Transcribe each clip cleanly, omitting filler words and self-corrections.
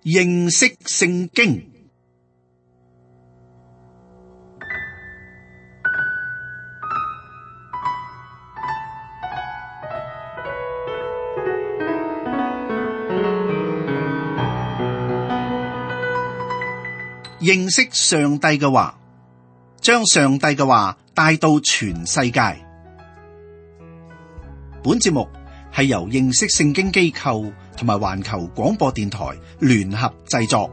認識聖經。認識上帝嘅話，將上帝嘅話帶到全世界。本節目係由認識聖經機構同埋環球廣播電台聯合製作。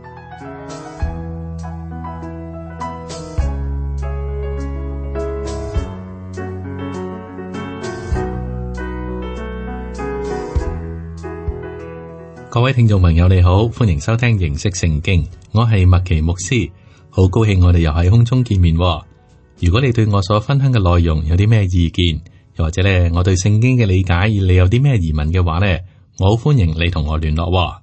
各位聽眾朋友你好，歡迎收聽認識聖經，我係麥奇牧師，好高興我哋又喺空中見面。如果你對我所分享嘅內容有啲咩意見，又或者咧我對聖經嘅理解你有啲咩疑問嘅話咧，我好歡迎你同我聯絡。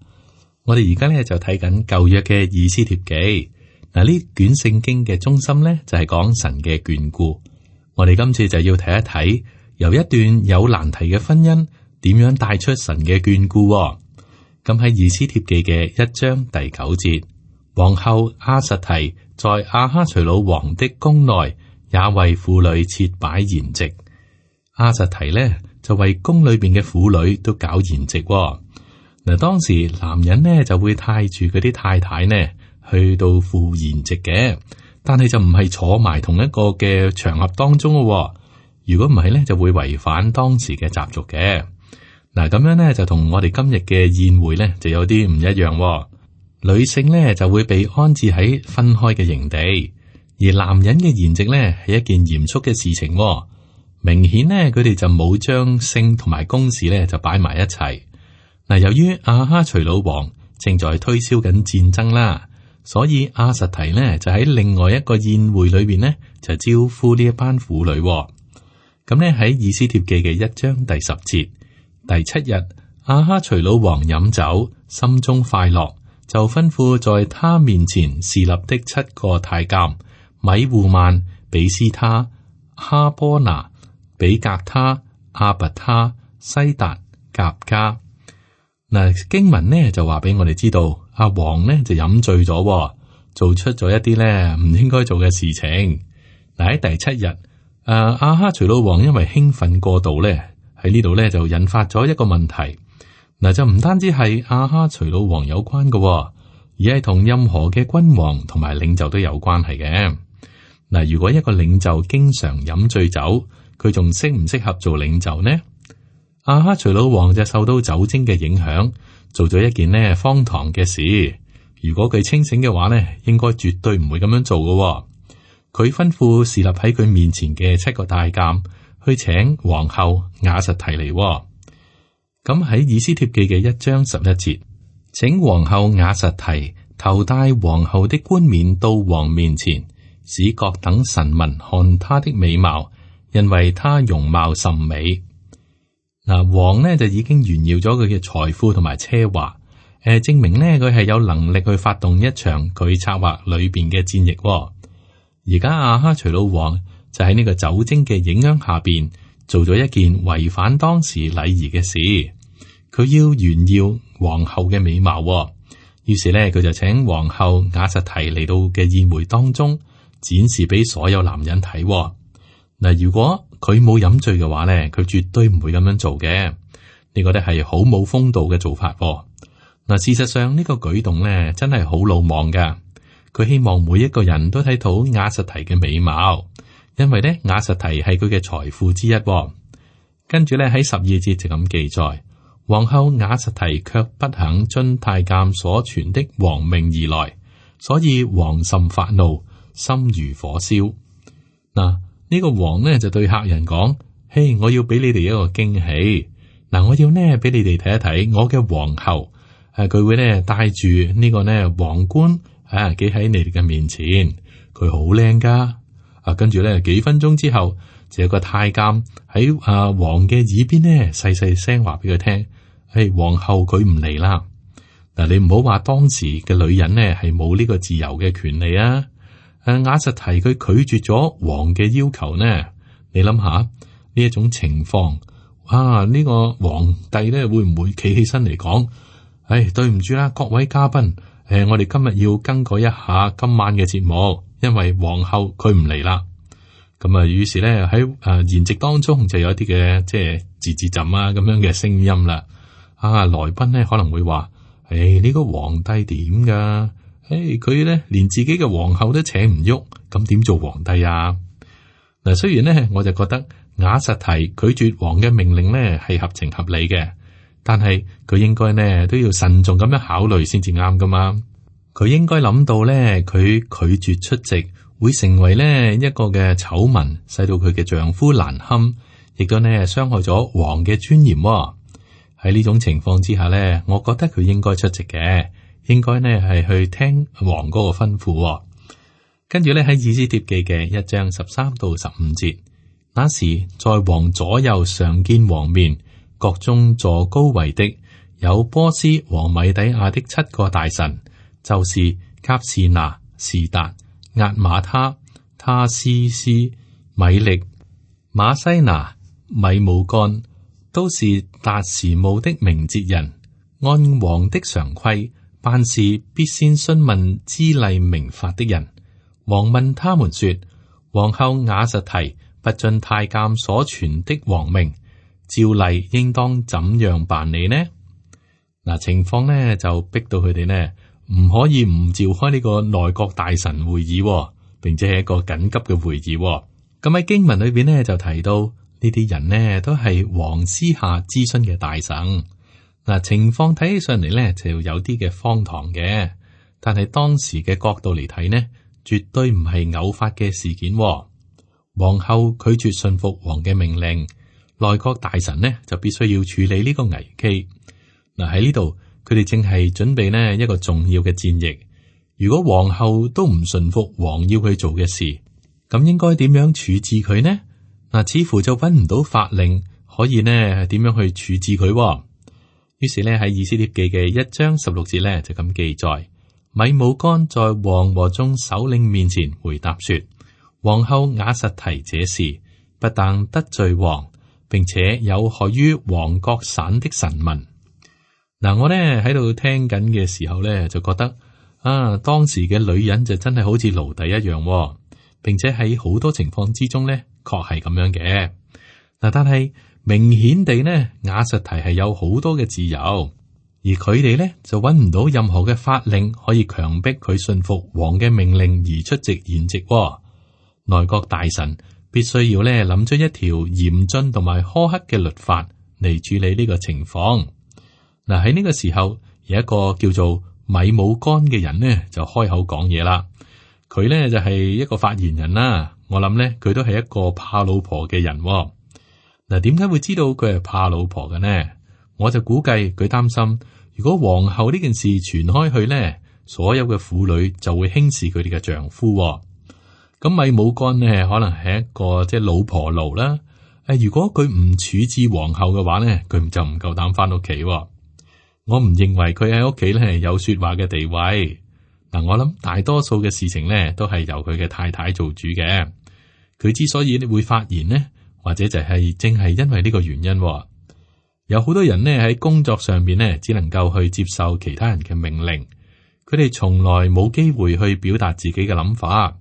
我哋而家咧就睇緊舊約嘅以斯帖記，嗱呢卷聖經嘅中心咧就係講神嘅眷顧。我哋今次就要睇一睇由一段有難題嘅婚姻點樣帶出神嘅眷顧。咁喺以斯帖記嘅1章第9節，皇后亞實提在亞哈隨魯王的宮內，也為婦女設擺筵席。亞實提呢就為宮裏邊嘅婦女都搞筵席。嗱，當時男人呢就會帶住嗰啲太太呢去到赴筵席嘅，但係就唔係坐埋同一個嘅場合當中咯。如果唔係呢，就會違反當時嘅習俗嘅。嗱，咁樣咧就同我哋今日嘅宴會咧就有啲唔一樣。女性咧就會被安置喺分開嘅營地，而男人嘅筵席咧係一件嚴肅嘅事情。明顯咧佢哋就冇將性同埋公事咧就擺埋一齊。嗱，由於亞哈隨魯王正在推銷緊戰爭啦，所以亞實提咧就喺另外一個宴會裏邊咧就招呼呢一班婦女。咁咧喺以斯帖記嘅1章第10節。第7日，亞哈隨魯王飲酒，心中快樂，就吩咐在他面前侍立的7個太監米戶曼、比斯他、哈波拿、比格他、阿拔他、西達、甲加。嗱，經文呢就話俾我哋知道，阿王呢就飲醉咗，做出咗一啲呢唔應該做嘅事情。嗱，喺第7日，亞哈隨魯王因為興奮過度呢。喺呢度咧就引發咗一個問題，嗱就唔單止係亞哈隨魯王有關嘅，而係同任何嘅君王同埋領袖都有關係嘅。嗱，如果一個領袖經常飲醉酒，佢仲適唔適合做領袖呢？亞哈隨魯王就受到酒精嘅影響，做咗一件呢荒唐嘅事。如果佢清醒嘅話呢，應該絕對唔會咁樣做嘅。佢吩咐侍立喺佢面前嘅7個太監。去請皇后亞實提嚟。咁喺以斯帖記嘅1章11節，請皇后亞實提頭戴皇后的冠冕到王面前，使各等臣民看她的美貌，因為她容貌甚美。嗱，王呢就已經炫耀咗佢嘅財富同埋奢華，證明呢佢係有能力去發動一場佢策劃裏邊嘅戰役。而家亞哈隨魯王就喺呢個酒精嘅影響下邊，做咗一件違反當時禮儀嘅事。佢要炫耀皇后嘅美貌，於是咧佢就請皇后亞實提嚟到嘅宴會當中，展示俾所有男人睇。嗱，如果佢冇飲醉嘅話咧，佢絕對唔會咁樣做嘅。呢個咧係好冇風度嘅做法。嗱，事實上呢個舉動咧真係好魯莽噶。佢希望每一個人都睇到亞實提嘅美貌。因為咧，亞實提係佢嘅財富之一。跟住咧喺12節就咁記載，皇后亞實提卻不肯遵太監所傳的王命而來，所以王甚發怒，心如火燒。嗱，呢個王呢就對客人講：嘿，我要俾你哋一個驚喜。嗱，我要呢俾你哋睇一睇我嘅皇后。佢會呢帶住呢個呢皇冠企喺你哋嘅面前，佢好靚噶。跟住咧，幾分鐘之後，就有個太監喺王嘅耳邊咧，細細聲話俾佢聽：皇后佢唔嚟啦。嗱，你唔好話當時嘅女人呢係冇呢個自由嘅權利啊。亞實提佢拒絕咗王嘅要求呢，你諗下呢一種情況，呢個皇帝咧會唔會企起身嚟講？對唔住啦，各位嘉賓，我哋今日要更改一下今晚嘅節目，因為皇后佢唔嚟啦。咁啊，於是咧喺筵席當中就有一啲嘅即係字字浸啊咁樣嘅聲音啦。來賓咧可能會話：呢個皇帝點噶？佢咧連自己嘅皇后都請唔喐，咁點做皇帝啊？嗱，雖然咧我就覺得瓦實提拒絕王嘅命令咧係合情合理嘅，但係佢應該呢都要慎重咁樣考慮先至啱噶嘛。佢應該諗到咧，佢拒絕出席會成為呢一個嘅醜聞，使到佢嘅丈夫難堪，亦都呢傷害咗王嘅尊嚴。喺呢種情況之下呢，我覺得佢應該出席嘅，應該呢係去聽王嗰個吩咐。跟住咧喺以斯帖記嘅1章13到15節，那時在王左右常見王面，國中坐高位的有波斯和米底亞的7個大臣，就是甲士拿、士達、押瑪他、他施斯、米力、馬西拿、米母干，都是達時務的明哲人。按王的常規，辦事必先詢問知例明法的人。王問他們說：皇后瓦實提不遵太監所傳的王命，照例應當怎樣辦理呢？嗱，情況呢就逼到佢哋呢唔可以唔召開呢個內閣大臣會議，並且係一個緊急嘅會議。咁喺經文裏邊呢就提到呢啲人呢都係王私下諮詢嘅大臣。嗱，情況睇起上嚟呢就有啲嘅荒唐嘅，但係當時嘅角度嚟睇呢，絕對唔係偶發嘅事件。皇后拒絕信服王嘅命令，內閣大臣呢就必須要處理呢個危機。嗱，喺呢度，佢哋正係準備呢一個重要嘅戰役。如果皇后都唔順服王要佢做嘅事，咁應該點樣處置佢呢？嗱，似乎就揾唔到法令可以呢點樣去處置佢。於是呢喺以斯帖記嘅1章16節呢就咁記載。米母干在王和眾首領面前回答說：皇后瓦實提這事不但得罪王，並且有害於王各省的臣民。嗱，我呢喺度聽緊嘅時候呢，就覺得當時嘅女人就真係好似奴隸一樣，並且喺好多情況之中呢，確係咁樣嘅。嗱，但係明顯地呢，瓦實提係有好多嘅自由。而佢哋咧就揾唔到任何嘅法令可以強迫佢信服王嘅命令而出席筵席。內閣大臣必須要咧諗出一條嚴峻同埋苛刻嘅律法嚟處理呢個情況。嗱，喺呢個時候，有一個叫做米母干嘅人呢就開口講嘢啦。佢呢就係一個發言人啦。我諗呢，佢都係一個怕老婆嘅人。嗱，點解會知道佢係怕老婆嘅呢？我就估計佢擔心，如果皇后呢件事傳開去呢，所有嘅婦女就會輕視佢哋嘅丈夫。咁米母干呢，可能係一個即係老婆奴啦。如果佢唔處置皇后嘅話呢，佢就唔夠膽翻屋企。我唔認為佢喺屋企呢有說話嘅地位。嗱，我諗大多數嘅事情呢都係由佢嘅太太做主嘅。佢之所以會發言呢，或者就係正係因為呢個原因。有好多人呢喺工作上面呢，只能夠去接受其他人嘅命令，佢哋從來冇機會去表達自己嘅諗法。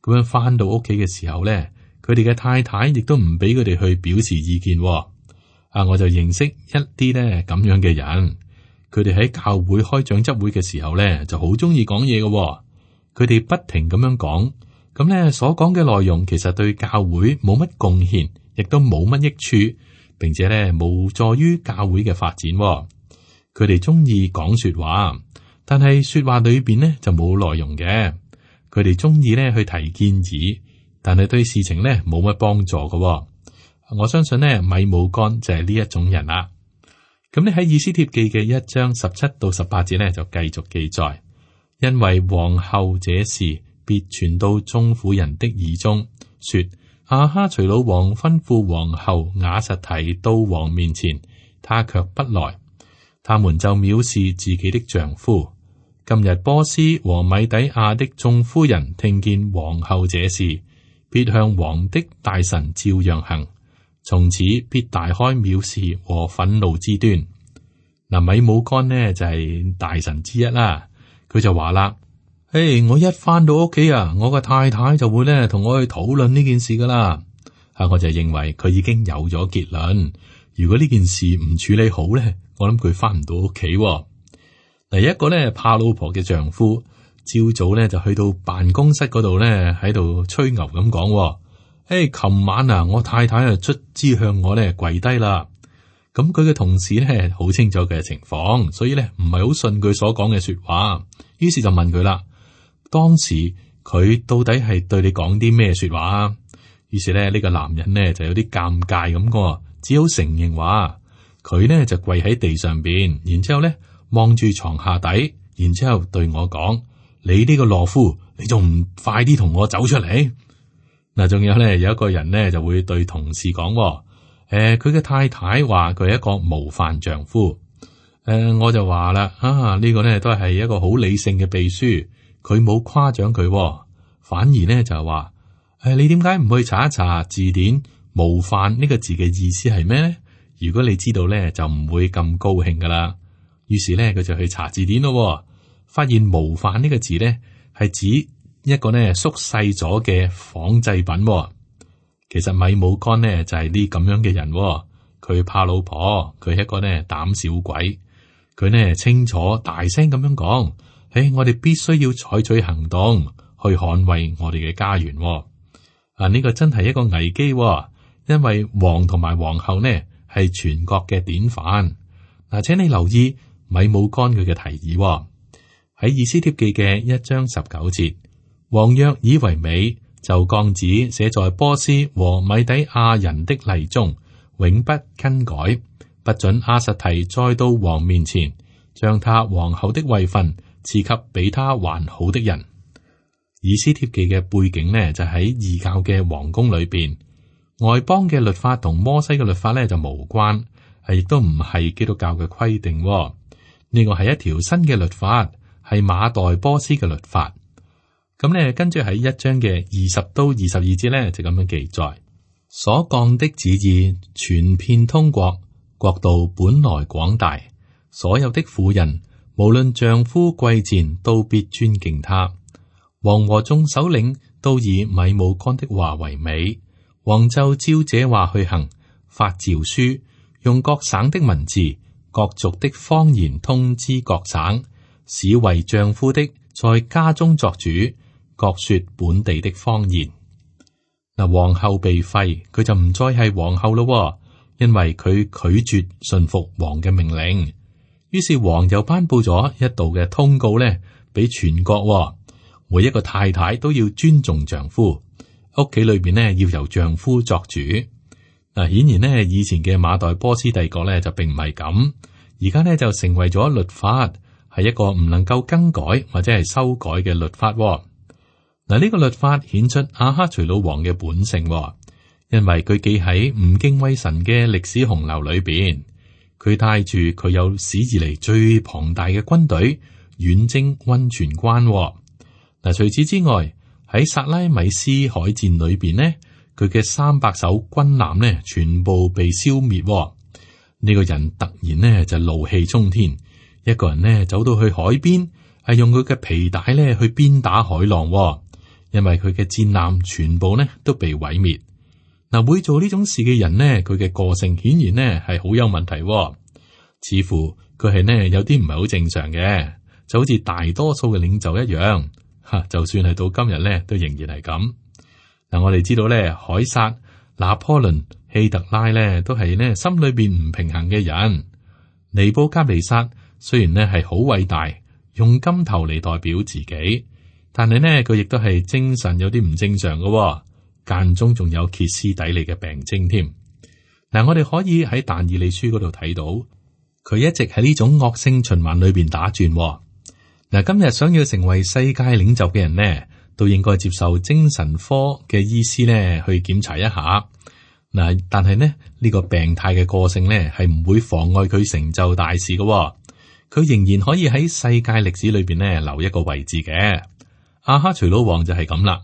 咁樣翻到屋企嘅時候呢，佢哋嘅太太亦都唔俾佢哋去表示意見。我就認識一啲呢咁樣嘅人，佢哋喺教會開長執會嘅時候呢，就好中意講嘢嘅。佢哋不停咁樣講，咁呢所講嘅內容其實對教會冇乜貢獻，亦都冇乜益處。並且咧無助於教會嘅發展。佢哋中意講說話，但係說話裏邊呢就冇內容嘅。佢哋中意咧去提建議，但係對事情呢冇乜幫助嘅。我相信呢米母干就係呢一種人啦。咁你喺以斯帖記嘅1章17到18節呢就繼續記載，因為皇后這事必傳到眾婦人的耳中，說。亞哈隨魯王吩咐皇后瓦實提到王面前，他卻不來，他們就藐視自己的丈夫。今日波斯和米底亞的眾夫人聽見皇后這事，必向王的大臣照樣行，從此必大開藐視和憤怒之端。嗱，米母干呢就係大臣之一啦，佢佢就話啦：我一翻到屋企啊，我個太太就會咧同我去討論呢件事噶啦。我就認為佢已經有咗結論。如果呢件事唔處理好咧，我諗佢翻唔到屋企。第一個咧怕老婆嘅丈夫，朝早咧就去到辦公室嗰度咧喺度吹牛咁講：琴晚啊，我太太啊卒之向我咧跪低啦。咁佢嘅同事咧好清楚佢嘅情況，所以咧唔係好信佢所講嘅說話，於是就問佢啦：當時佢到底係對你講啲咩說話啊？於是咧呢個男人呢就有啲尷尬咁個，只好承認話佢呢就跪喺地上邊，然之後咧望住床下底，然之後對我講：你呢個懦夫，你仲唔快啲同我走出嚟？嗱，仲有咧有一個人呢就會對同事講。佢嘅太太話佢係一個模範丈夫。我就話啦，呢個呢都係一個好理性嘅秘書，佢冇誇獎佢，反而呢就係話，你點解唔去查一查字典模範呢個字嘅意思係咩呢？如果你知道呢，就唔會咁高興噶啦。於是呢，佢就去查字典咯，發現模範呢個字呢係指一個呢縮細咗嘅仿製品。其實米姆干呢就係呢咁樣嘅人，佢怕老婆，佢係一個呢膽小鬼，佢呢清楚大聲咁樣講：我哋必須要採取行動去捍衛我哋嘅家園。呢個真係一個危機，因為王同埋皇后呢係全國嘅典範。請你留意米姆干佢嘅提議喺以斯帖記嘅1章19節，王若以為美，就降旨寫在波斯和米底亞人的例中，永不更改，不准亞實提再到王面前，將他皇后的位分賜給比他還好的人。以斯帖記嘅背景呢，就喺異教嘅皇宮裏邊，外邦嘅律法同摩西嘅律法呢就無關，亦都唔係基督教嘅規定。呢個係一條新嘅律法，係馬代波斯嘅律法。咁咧，跟住喺1章嘅20到22節咧，就咁樣記載：所降的旨意傳遍通國，國度本來廣大，所有的婦人無論丈夫貴賤，都必尊敬他。王和眾首領都以米姆干的話為美，王就照這話去行，發詔書，用各省的文字、各族的方言通知各省，使為丈夫的在家中作主，各說本地的方言。嗱，皇后被廢，佢就唔再係皇后咯，因為佢拒絕順服王嘅命令。於是王又頒布咗一道嘅通告咧，俾全國，每一個太太都要尊重丈夫，屋企裏邊呢要由丈夫作主。嗱，顯然呢，以前嘅馬代波斯帝國咧就並唔係咁，而家呢就成為咗律法，係一個唔能夠更改或者係修改嘅律法。嗱，呢個律法顯出亞哈隨魯王嘅本性，因為佢記喺唔敬畏神嘅歷史洪流裏邊，佢帶住佢有史以嚟最龐大嘅軍隊遠征溫泉關。嗱，除此之外，喺薩拉米斯海戰裏邊呢，佢嘅300艘軍艦呢全部被消滅。呢個人突然呢就怒氣沖天，一個人呢走到去海邊，係用佢嘅皮帶呢去鞭打海浪。因為佢嘅戰艦全部呢都被毀滅。嗱，會做呢種事嘅人呢，佢嘅個性顯然呢係好有問題，似乎佢係呢有啲唔係好正常嘅，就好似大多數嘅領袖一樣。就算係到今日呢，都仍然係咁。嗱，我哋知道呢，凱撒、拿破崙、希特拉呢都係呢心裏邊唔平衡嘅人。尼布甲尼撒雖然呢係好偉大，用金頭嚟代表自己。但係呢，佢亦都係精神有啲唔正常嘅，間中仲有歇斯底里嘅病徵添。嗱，我哋可以喺但以理書嗰度睇到，佢一直喺呢種惡性循環裏邊打轉。嗱，今日想要成為世界領袖嘅人呢，都應該接受精神科嘅醫師呢去檢查一下。嗱，但係呢，呢個病態嘅個性呢，係唔會妨礙佢成就大事嘅，佢仍然可以喺世界歷史裏邊呢留一個位置嘅。亞哈隨魯王就係咁啦，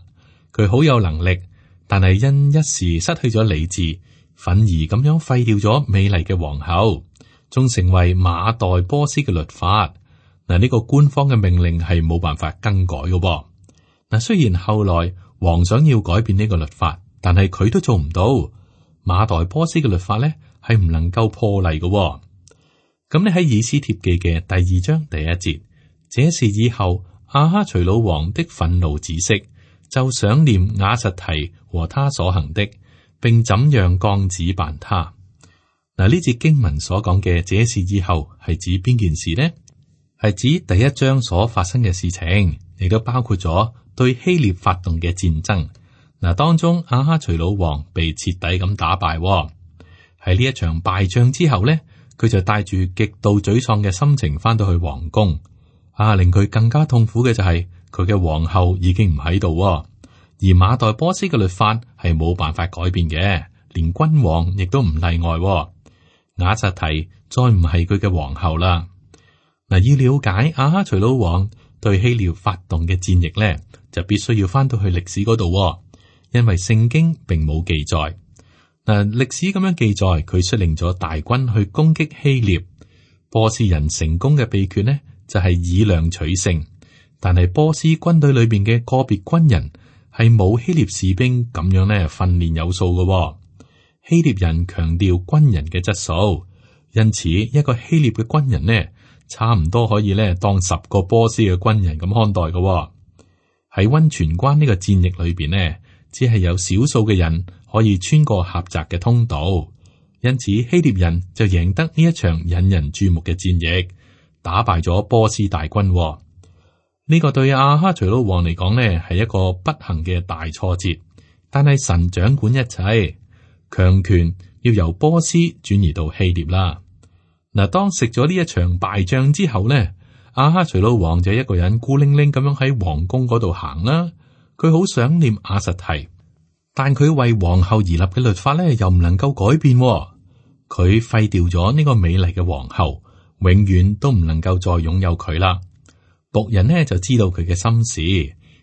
佢好有能力，但係因一時失去咗理智，憤而咁樣廢掉咗美麗嘅皇后，仲成為馬代波斯嘅律法。嗱，呢個官方嘅命令係冇辦法更改嘅。嗱，雖然後來王想要改變呢個律法，但係佢都做唔到。馬代波斯嘅律法咧係唔能夠破例嘅。咁你喺以斯帖記嘅第2章第1節，這事以後亞哈隨魯王的憤怒止息，就想念瓦實提和他所行的，並怎樣降旨辦他。嗱，呢節經文所講嘅這事以後係指邊件事呢？係指第1章所發生嘅事情，亦都包括咗對希臘發動嘅戰爭。嗱，當中亞哈隨魯王被徹底咁打敗。喺呢一場敗仗之後呢，佢就帶住極度沮喪嘅心情翻到去皇宮。令佢更加痛苦嘅就係佢嘅皇后已經唔喺度，而馬代波斯嘅律法係冇辦法改變嘅，連君王亦都唔例外。瓦實提再唔係佢嘅皇后啦。嗱，要了解亞哈隨魯王對希臘發動嘅戰役咧，就必須要翻到去歷史嗰度，因為聖經並冇記載。嗱，歷史咁樣記載，佢率領咗大軍去攻擊希臘。波斯人成功嘅秘訣呢，就係以量取勝。但係波斯軍隊裏邊嘅個別軍人係冇希臘士兵咁樣咧訓練有素嘅。希臘人強調軍人嘅質素，因此一個希臘嘅軍人呢，差唔多可以咧當10個波斯嘅軍人咁看待嘅。喺溫泉關呢個戰役裏邊呢，只係有少數嘅人可以穿過狹窄嘅通道，因此希臘人就贏得呢一場引人注目嘅戰役，打敗咗波斯大軍。呢個對亞哈隨魯王嚟講呢，係一個不幸嘅大挫折。但係神掌管一切，強權要由波斯轉移到希臘啦。嗱，當食咗呢一場敗仗之後呢，亞哈隨魯王就一個人孤零零咁樣喺皇宮嗰度行啦。佢好想念瓦實提，但佢為皇后而立嘅律法呢，又唔能夠改變。佢廢掉咗呢個美麗嘅皇后，永遠都唔能夠再擁有佢啦。僕人呢就知道佢嘅心事，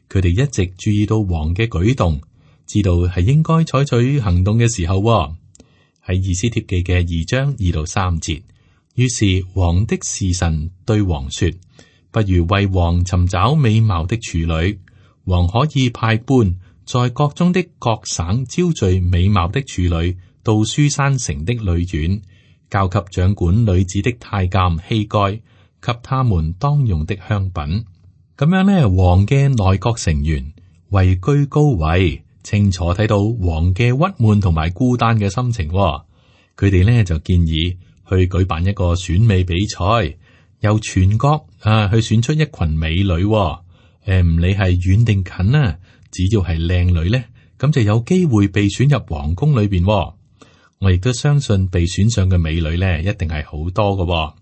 佢哋一直注意到王嘅舉動，知道係應該採取行動嘅時候。喺以斯帖記嘅2章2到3節，於是王的侍臣對王說：不如為王尋找美貌的處女，王可以派官在國中的各省招聚美貌的處女到書珊城的女院，交給掌管女子的太監希該，給他們當用的香品。咁樣呢，王嘅內閣成員位居高位，清楚睇到王嘅鬱悶同埋孤單嘅心情。佢哋呢就建議去舉辦一個選美比賽，由全國去選出一群美女。唔理係遠定近啊，只要係靚女呢，咁就有機會被選入皇宮裏邊。我亦都相信被選上嘅美女呢，一定係好多嘅。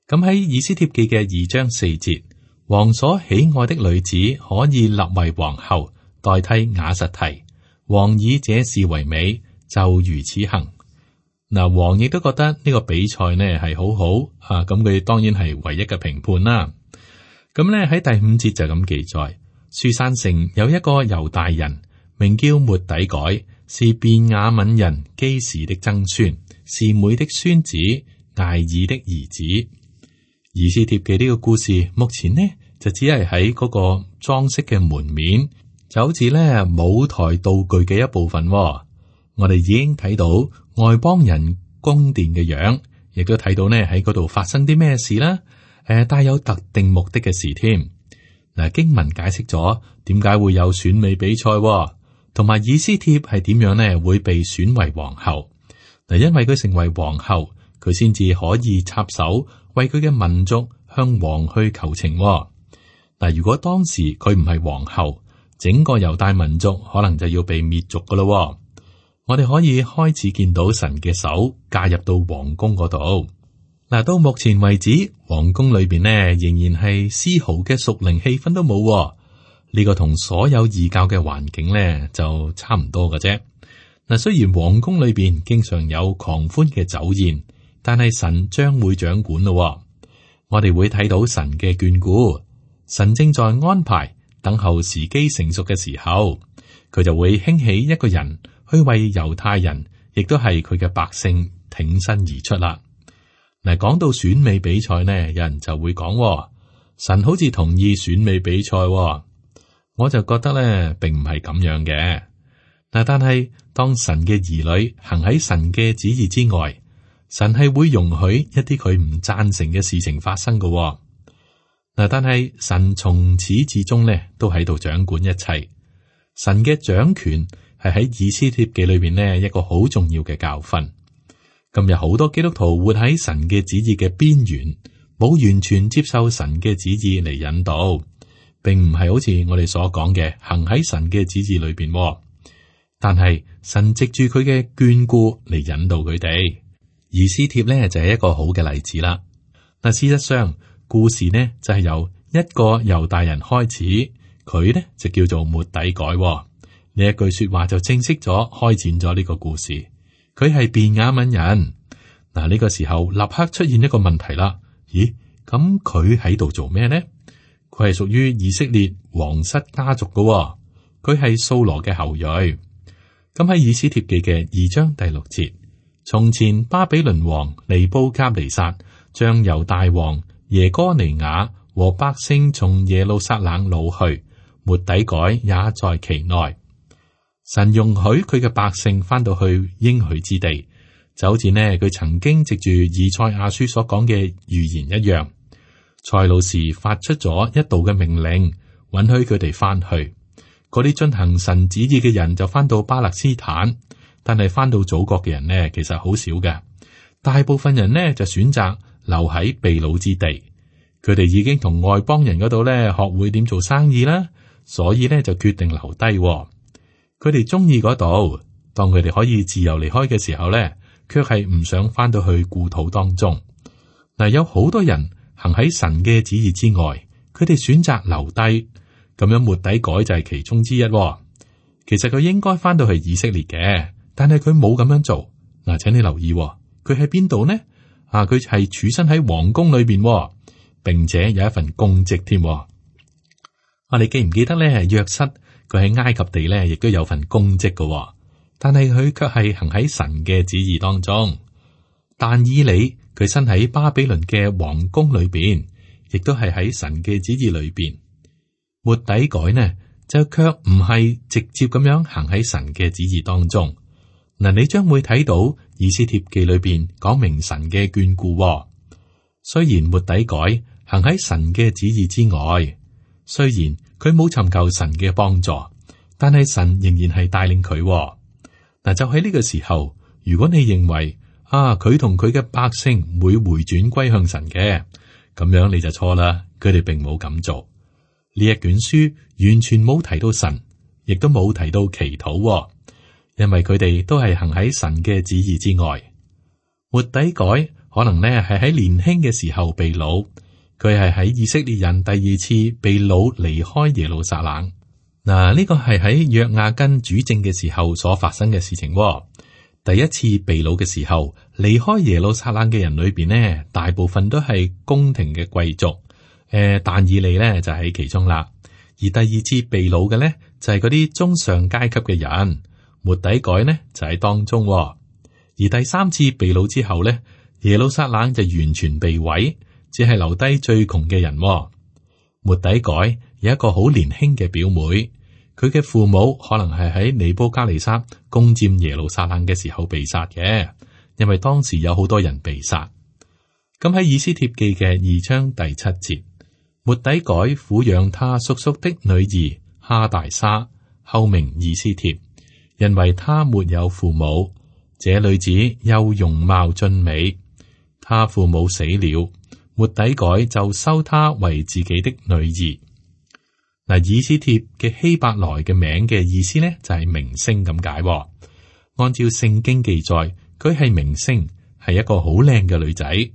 咁喺以斯帖記嘅2章4節，王所喜愛的女子可以立為皇后，代替瓦實提。王以這事為美，就如此行。嗱，王亦都覺得呢個比賽呢係好好啊，咁佢當然係唯一嘅評判啦。咁呢喺第5節就咁記載，書珊城有一個猶大人，名叫末底改，是便雅憫人基士的曾孫，是妹的孫子艾爾的兒子。以斯帖記呢個故事，目前呢就只係喺嗰個裝飾嘅門面，就好似咧舞台道具嘅一部分。我哋已經睇到外邦人宮殿嘅樣，亦都睇到呢喺嗰度發生啲咩事啦。帶有特定目的嘅事添。嗱，經文解釋咗點解會有選美比賽，同埋以斯帖係點樣呢會被選為皇后。嗱，因為佢成為皇后，佢先至可以插手為佢嘅民族向王去求情。嗱，如果當時佢唔係皇后，整個猶大民族可能就要被滅族噶咯。我哋可以開始見到神嘅手介入到皇宮嗰度。嗱，到目前為止，皇宮裏邊呢仍然係絲毫嘅屬靈氣氛都冇。呢個同所有異教嘅環境呢就差唔多嘅啫。嗱，雖然皇宮裏邊經常有狂歡嘅酒宴，但係神將會掌管咯。我哋會睇到神嘅眷顧，神正在安排，等候時機成熟嘅時候，佢就會興起一個人去為猶太人，亦都係佢嘅百姓挺身而出啦。嗱，講到選美比賽呢，有人就會講，神好似同意選美比賽喎。我就覺得咧，並唔係咁樣嘅。但係當神嘅兒女行喺神嘅旨意之外，神係會容許一啲佢唔贊成嘅事情發生嘅喎。但係神從始至終咧都喺度掌管一切。神嘅掌權係喺以斯帖記裏邊呢一個好重要嘅教訓。今日好多基督徒活喺神嘅旨意嘅邊緣，冇完全接受神嘅旨意嚟引導，並唔係好似我哋所講嘅行喺神嘅旨意裏邊。但係神藉住佢嘅眷顧嚟引導佢哋。以斯帖呢就係一個好嘅例子啦。嗱，事實上故事呢就係由一個猶大人開始，佢呢就叫做末底改。呢一句說話就正式咗開展咗呢個故事。佢係便雅憫人。嗱，呢個時候立刻出現一個問題啦。咦，咁佢喺度做咩呢？佢係屬於以色列皇室家族嘅，佢係掃羅嘅後裔。咁喺以斯帖記嘅2章第6節，從前巴比倫王尼布甲尼撒將猶大王耶哥尼雅和百姓從耶路撒冷擄去，末底改也在其內。神容許佢嘅百姓翻到去應許之地，就好似呢佢曾經藉住以賽亞書所講嘅預言一樣。塞魯士發出咗一道嘅命令，允許佢哋翻去。嗰啲遵行神旨意嘅人就翻到巴勒斯坦，但係翻到祖國嘅人呢，其實好少嘅。大部分人呢就選擇留喺被擄之地。佢哋已經同外邦人嗰度呢學會點做生意啦，所以呢就決定留低。佢哋中意嗰度，當佢哋可以自由離開嘅時候咧，卻係唔想翻到去故土當中。嗱，有好多人行喺神嘅旨意之外，佢哋選擇留低，咁樣末底改就係其中之一。其實佢應該翻到去以色列嘅，但係佢冇咁樣做。嗱，請你留意，佢喺邊度呢？佢係處身喺皇宮裏邊，並且有一份公職添。我哋記唔記得咧？約瑟佢喺埃及地咧，亦都有份公職嘅，但係佢卻係行喺神嘅旨意當中。但以理佢身喺巴比倫嘅皇宮裏邊，亦都係喺神嘅旨意裏邊。末底改呢就卻唔係直接咁樣行喺神嘅旨意當中。嗱，你將會睇到以斯帖記裏邊講明神嘅眷顧。雖然末底改行喺神嘅旨意之外，雖然佢冇尋求神嘅幫助，但係神仍然係帶領佢。嗱，就喺呢個時候，如果你認為佢同佢嘅百姓會回轉歸向神嘅，咁樣你就錯啦。佢哋並冇咁做。呢一卷書完全冇提到神，亦都冇提到祈禱，因為佢哋都係行喺神嘅旨意之外。末底改可能呢係喺年輕嘅時候被擄。佢係喺以色列人第二次被擄離開耶路撒冷。嗱，呢個係喺約雅斤主政嘅時候所發生嘅事情。第一次被擄嘅時候，離開耶路撒冷嘅人裏邊呢，大部分都係宮廷嘅貴族。但以理呢就喺其中啦。而第二次被擄嘅呢，就係嗰啲中上階級嘅人。末底改呢就喺當中。而第三次被擄之後呢，耶路撒冷就完全被毀。只係留低最窮嘅人。末底改有一個好年輕嘅表妹，佢嘅父母可能係喺尼布甲尼撒攻佔耶路撒冷嘅時候被殺嘅，因為當時有好多人被殺。咁喺以斯帖記嘅2章第7節，末底改撫養他叔叔的女兒哈大沙，後名以斯帖，因為他沒有父母，這女子又容貌俊美，他父母死了。末底改就收她為自己的女兒。嗱，以斯帖嘅希伯來嘅名嘅意思呢，就係明星咁解。按照聖經記載，佢係明星，係一個好靚嘅女仔。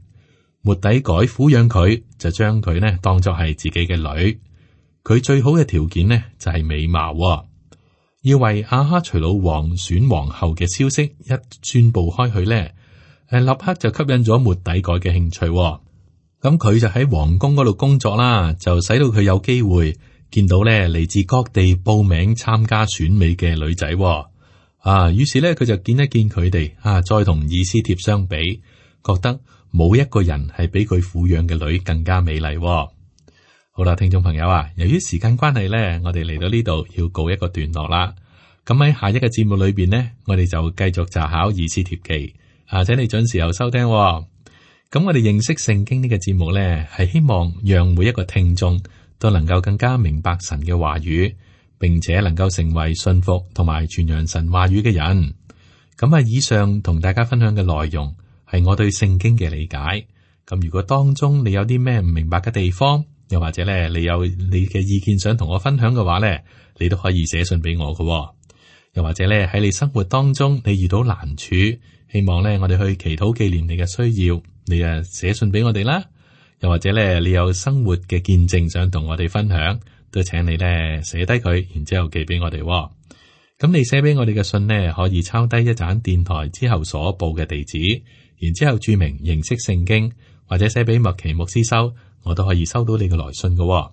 末底改撫養佢，就將佢呢當作係自己嘅女。佢最好嘅條件呢，就係美貌。要為亞哈隨魯王選皇后嘅消息一宣布開去呢，立刻就吸引咗末底改嘅興趣。咁佢就喺皇宮嗰度工作啦，就使到佢有機會見到咧嚟自各地報名參加選美嘅女仔。於是咧佢就見一見佢哋，再同以斯帖相比，覺得冇一個人係比佢撫養嘅女更加美麗。好啦，聽眾朋友啊，由於時間關係呢，我哋嚟到呢度要告一個段落啦。咁喺下一個節目裏邊呢，我哋就繼續查考以斯帖記，請你準時又收聽喎。咁我哋認識聖經呢個節目呢，係希望讓每一個聽眾都能夠更加明白神嘅話語，並且能夠成為信服同埋傳揚神話語嘅人。咁以上同大家分享嘅內容係我對聖經嘅理解。咁如果當中你有啲咩唔明白嘅地方，又或者咧，你有你嘅意見想同我分享嘅話咧，你都可以寫信俾我嘅。又或者咧，喺你生活當中你遇到難處，希望咧我哋去祈禱紀念你嘅需要，你寫信俾我哋啦。又或者咧，你有生活嘅見證想同我哋分享，都請你咧寫低佢，然之後寄俾我哋。咁你寫俾我哋嘅信呢，可以抄低一盞電台之後所報嘅地址，然之後注明認識聖經，或者寫俾麥奇牧師收。我都可以收到你嘅來信嘅，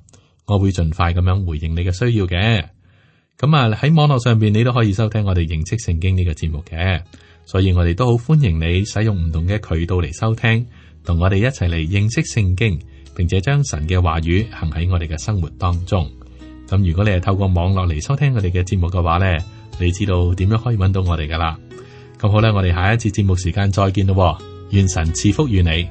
我會盡快咁樣回應你嘅需要嘅。咁喺網絡上邊，你都可以收聽我哋認識聖經呢個節目嘅，所以我哋都好歡迎你使用唔同嘅渠道嚟收聽，同我哋一齊嚟認識聖經，並且將神嘅話語行喺我哋嘅生活當中。咁如果你係透過網絡嚟收聽我哋嘅節目嘅話呢，你知道點樣可以揾到我哋噶啦。咁好啦，我哋下一次節目時間再見咯，願神賜福於你。